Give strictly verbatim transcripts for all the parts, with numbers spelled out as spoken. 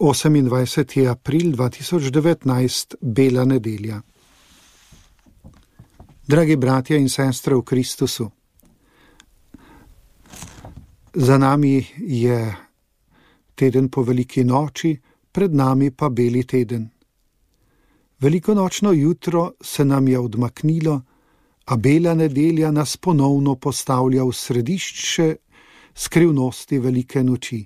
osemindvajseti april dva tisoč devetnajst, Bela nedelja. Dragi bratje in sestre v Kristusu, za nami je teden po veliki noči, pred nami pa beli teden. Velikonočno jutro se nam je odmaknilo, a bela nedelja nas ponovno postavlja v središče skrivnosti velike noči.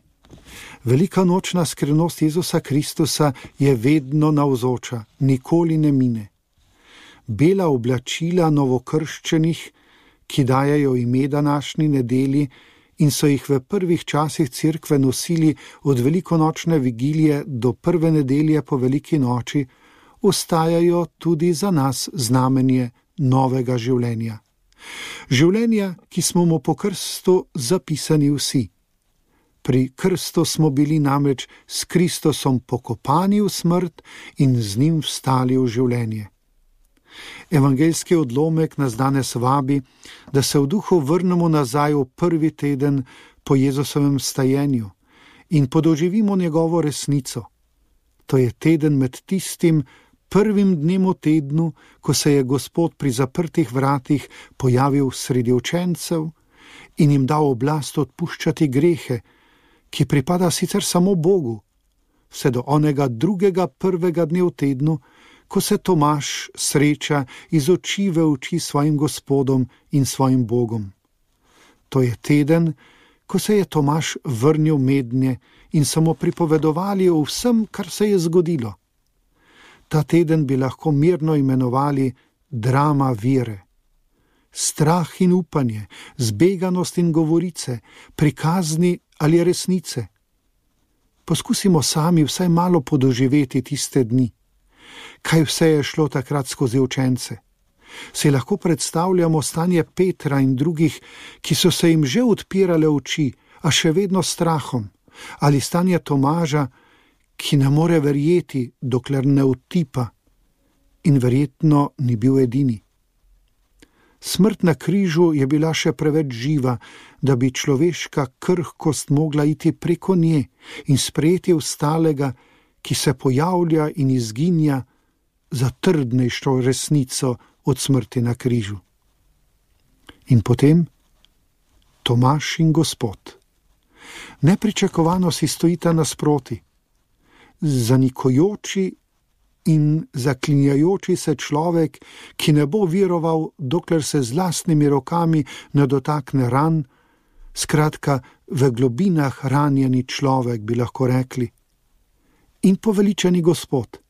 Velika nočna skrivnost Jezusa Kristusa je vedno navzoča, nikoli ne mine. Bela oblačila novokrščenih, ki dajejo ime današnji nedelji in so jih v prvih časih cerkve nosili od velikonočne vigilije do prve nedelje po veliki noči, ostajajo tudi za nas znamenje novega življenja. Življenja, ki smo mu po krstu zapisani vsi. Pri krstu smo bili namreč s Kristusom pokopani v smrt in z njim vstali v življenje. Evangeljski odlomek nas danes vabi, da se v duhu vrnemo nazaj v prvi teden po Jezusovem stajenju in podoživimo njegovo resnico. To je teden med tistim prvim dnem v tednu, ko se je Gospod pri zaprtih vratih pojavil sredi učencev in jim dal oblast odpuščati grehe, ki pripada sicer samo Bogu, vse do onega drugega prvega dne v tednu, ko se Tomaž sreča iz oči v oči svojim Gospodom in svojim Bogom. To je teden, ko se je Tomaž vrnil mednje in so mu pripovedovali o vsem, kar se je zgodilo. Ta teden bi lahko mirno imenovali drama vere. Strah in upanje, zbeganost in govorice, prikazni ali resnice. Poskusimo sami vsaj malo podoživeti tiste dni. Kaj vse je šlo takrat skozi učence? Si lahko predstavljamo stanje Petra in drugih, ki so se jim že odpirale oči, a še vedno strahom, ali stanje Tomaža, ki ne more verjeti, dokler ne utipa, in verjetno ni bil edini. Smrt na križu je bila še preveč živa, da bi človeška krhkost mogla iti preko nje in sprejeti ostalega, ki se pojavlja in izginja za trdnejšo resnico od smrti na križu. In potem Tomaž in Gospod. Nepričakovano si stojita nasproti. Zanikojoči in zaklinjajoči se človek, ki ne bo viroval, dokler se z lastnimi rokami ne dotakne ran, skratka v globinah ranjeni človek, bi lahko rekli. In poveličeni Gospod.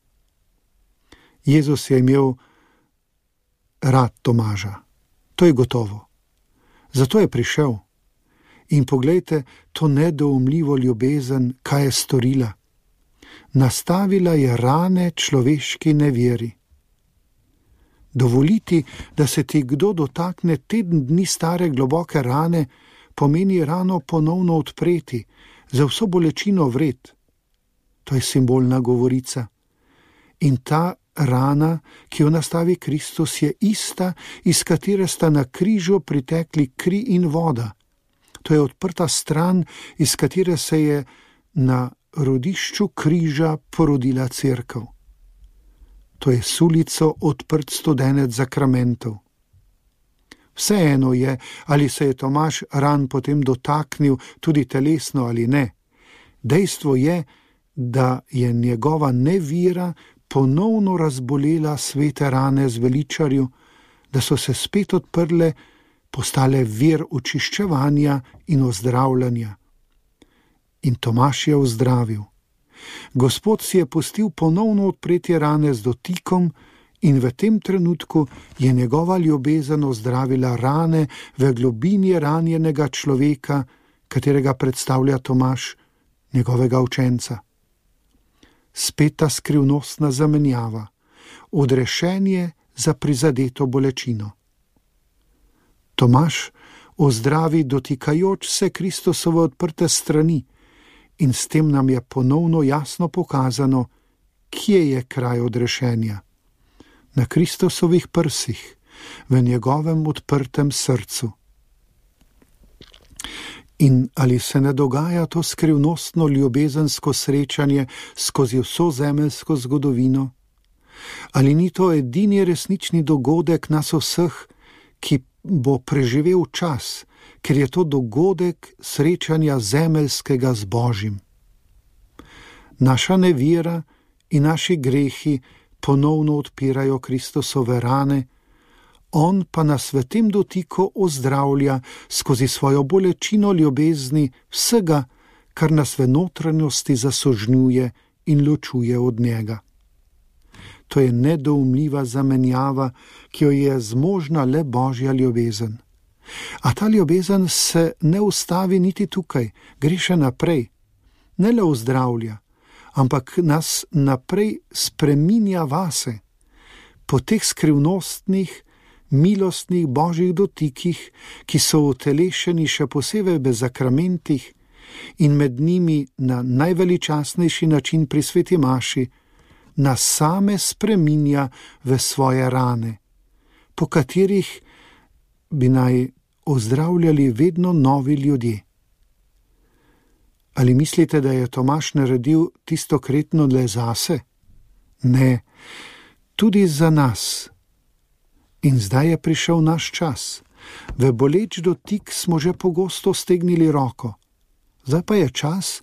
Jezus je imel rad Tomaža. To je gotovo. Zato je prišel. In poglejte to nedoumljivo ljubezen, kaj je storila. Nastavila je rane človeški neveri. Dovoliti, da se ti kdo dotakne teden dni stare globoke rane, pomeni rano ponovno odpreti, za vso bolečino vred. To je simbolna govorica. In ta rana, ki jo nastavi Kristus, je ista, iz katere sta na križu pritekli kri in voda. To je odprta stran, iz katere se je na rodišču križa porodila cerkev. To je sulico odprt studenec zakramentov. Vseeno je, ali se je Tomaž ran potem dotaknil tudi telesno ali ne. Dejstvo je, da je njegova nevira ponovno razbolela svete rane zveličarju, da so se spet odprle, postale vir očiščevanja in ozdravljanja. In Tomaž je ozdravil. Gospod si je pustil ponovno odpreti rane z dotikom in v tem trenutku je njegova ljubezen ozdravila rane v globini ranjenega človeka, katerega predstavlja Tomaž, njegovega učenca. Spet ta skrivnostna zamenjava, odrešenje za prizadeto bolečino. Tomaž ozdravi dotikajoč se Kristusove odprte strani in s tem nam je ponovno jasno pokazano, kje je kraj odrešenja. Na Kristusovih prsih, v njegovem odprtem srcu. In ali se ne dogaja to skrivnostno ljubezensko srečanje skozi vso zemeljsko zgodovino? Ali ni to edini resnični dogodek nas vseh, ki bo preživel čas, ker je to dogodek srečanja zemeljskega z Božjim? Naša nevera in naši grehi ponovno odpirajo Kristusove rane, on pa nas v tem dotiku ozdravlja skozi svojo bolečino ljubezni vsega, kar nas v notranjosti zasožnjuje in ločuje od njega. To je nedoumljiva zamenjava, ki jo je zmožna le Božja ljubezen. A ta ljubezen se ne ustavi niti tukaj, gre še naprej. Ne le ozdravlja, ampak nas naprej spreminja vase. Po teh skrivnostnih, milostnih Božjih dotikih, ki so utelešeni še posebej v zakramentih in med njimi na najveličastnejši način pri sveti maši, nas same spreminja v svoje rane, po katerih bi naj ozdravljali vedno novi ljudje. Ali mislite, da je Tomaž naredil tisto kretno le zase? Ne, tudi za nas. In zdaj je prišel naš čas. V boleč dotik smo že pogosto stegnili roko. Zdaj pa je čas,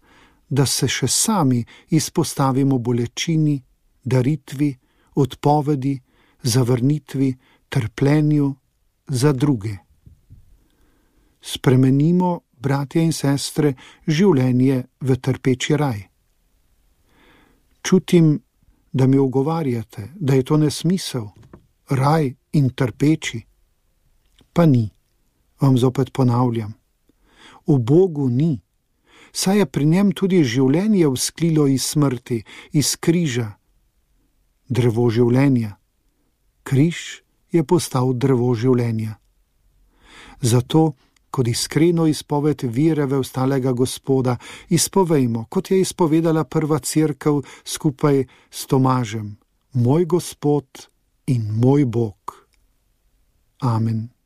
da se še sami izpostavimo bolečini, daritvi, odpovedi, zavrnitvi, trpljenju za druge. Spremenimo, bratje in sestre, življenje v trpeči raj. Čutim, da mi ugovarjate, da je to nesmisel, raj in trpeči. Pa ni, vam zopet ponavljam. V Bogu ni, saj je pri njem tudi življenje vzklilo iz smrti, iz križa. Drevo življenja. Križ je postal drevo življenja. Zato, kot iskreno izpoved vere v ostalega Gospoda, izpovejmo, kot je izpovedala prva cerkev skupaj s Tomažem, moj Gospod in moj Bog. Amen.